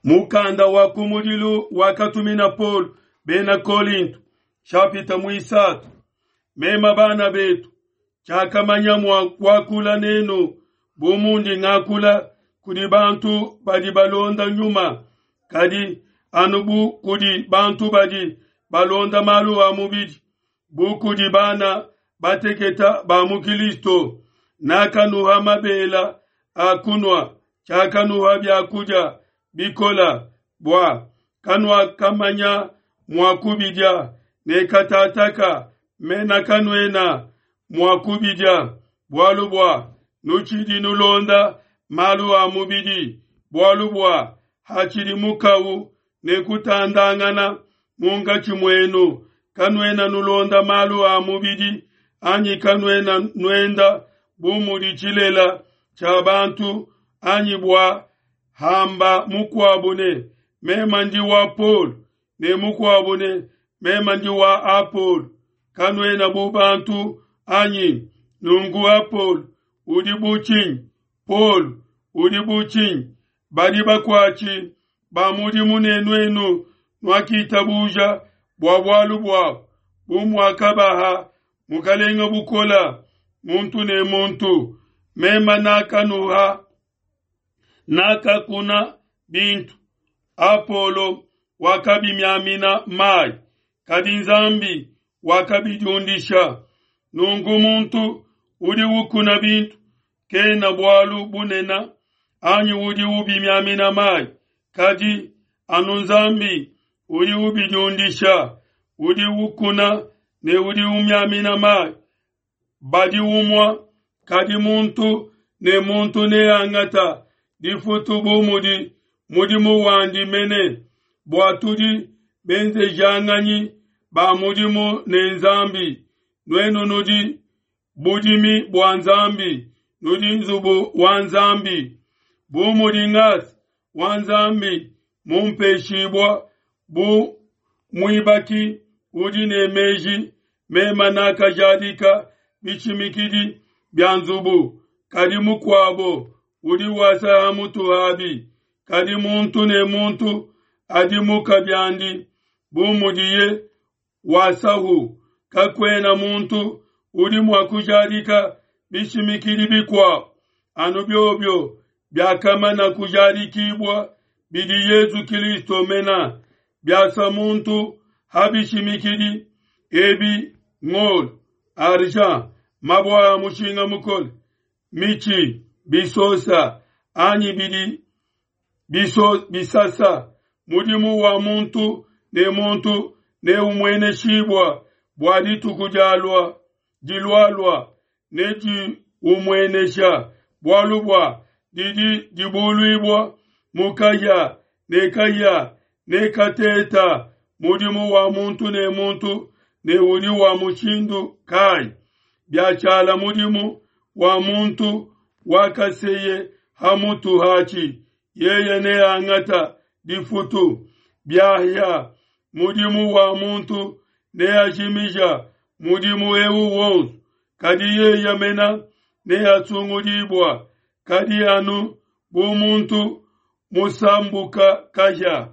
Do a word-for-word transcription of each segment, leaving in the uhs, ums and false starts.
Mukanda wa kumudilu wakatumina Paulo bena Kolinto, shapita muisatu. Mema bana betu, tshiakamanya mua kuakula nenu bu mundi ngakula kudi bantu badi balonda nyuma, kadi anu bu kudi bantu badi balonda malu a mubidi, bu kudi bana bateketa ba mu Kilisto. Nakanuha mabela a kunua, tshiakanuha biakudia bikola, bua kanuakamanya mua kubidia, ne katataka mena kanuena mua kubidia, bualu bua nutshidi nulonda malu a mubidi, bualu bua hatshidi mukau ne kutandangana munkatshi muenu, kanuena nulonda malu a mubidi, anyi kanuena nuenda bu mudi tshilela tshia bantu, anyi bua hamba mukuabu ne mema ndi wa Paulo, ne mukuabu ne mema ndi wa Apolo, kanuena bu bantu anyi? Nunku Apolo udi bu tshinyi? Paulo udi bu tshinyi? Badi bakuatshi ba mudimu ne nuenu nuakitabuja bua bualu buabu, bu muakabaha Mukalenga bukola muntu ne muntu. Mema nakanuha nakakuna bintu, Apolo wakabimiamina mai, kadi Nzambi wakabidiundisha. Nunku muntu udi ukuna bintu kena bualu bunena, anyi udi ubimiamina mai, kadi anu Nzambi udi ubidiundisha. Udi ukuna ne udi umiamina mai badi umua, kadi muntu ne muntu neangata difutu bu mudi mudimu wandi mene, bua tudi benzejanganyi ba mudimu ne Nzambi. Nuenu nudi budimi bua Nzambi, nudi nzubu wa Nzambi. Bu mudi ngasa wa Nzambi mumpeshibua bu muibaki udi ne meji, mema nakajadika bishimikidi bia nzubu, kadi mukuabo udi wasa ha mutu habi. Kadi muntu ne muntu adimuka biandi bu mudiye wasahu. Kakuena muntu udi mua kujadika bishimikidi bikuabo anu biobio biakamana kujadikibua bidi Yesu Kilisto mena. Biasa muntu ha bishimikidi ebi ngolo, argent, mabue a mushinga mukole, mitshi, bisosa anyi bidi biso bisasa, mudimu wa muntu ne muntu neumueneshibua bua dituku dialua dilualua nediumuenesha, bualu bua didi dibuluibua mu kahia, ne kahia nekateta mudimu wa muntu ne muntu ne udi wa mushindu kai. Biatshiala mudimu wa muntu wakaseye ha mutu hatshi, yeye neangata difutu. Biahia mudimu wa muntu neajimija mudimu eu wonso, kadi yeye mena neasungudibua, kadi anu bu muntu musambuka kahia.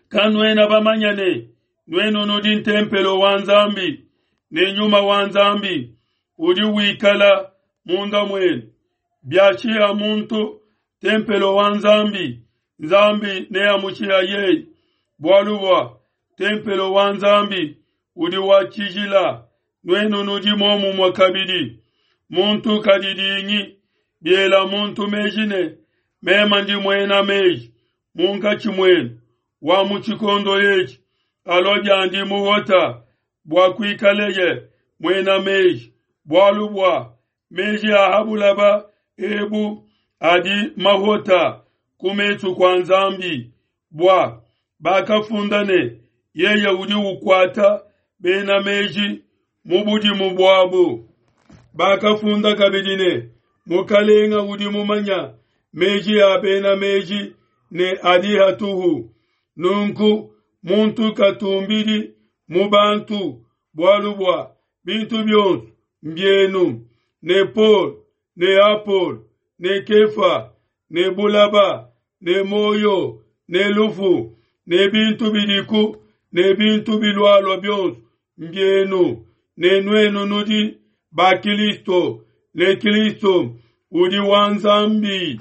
Kanuena bamanya ne nuenu nudi ntempelo wa Nzambi, ne nyuma wa Nzambi udi wikala munda muenu. Biashiha muntu tempelo wa Nzambi, Nzambi neamushiha yeye, bualu bua tempelo wa Nzambi udi wa tshijila, nuenu nudi momumue kabidi. Muntu kadidingi, biela muntu meji ne mema ndi muena meji munkatshi muenu wa mu tshikondo etshi, alua biandi muhota bua kuikaleye muena meji, bualu bua meji a ha bulaba ebu adi mahota ku mesu kua Nzambi, bua bakafunda ne yeye udi ukuata bena meji mu budimu buabu. Bakafunda kabidi ne Mukalenga udi mumanya meji a bena meji ne adi hatuhu. Nunku muntu katumbidi mu bantu, bualu bua bintu bionso mbienu, ne Paul ne Apolo ne Kefa ne bulaba ne muoyo ne lufu ne bintu bidiku ne bintu bilualua bionso mbienu, ne nuenu nudi ba Kilisto, ne Kilisto udi wa Nzambi.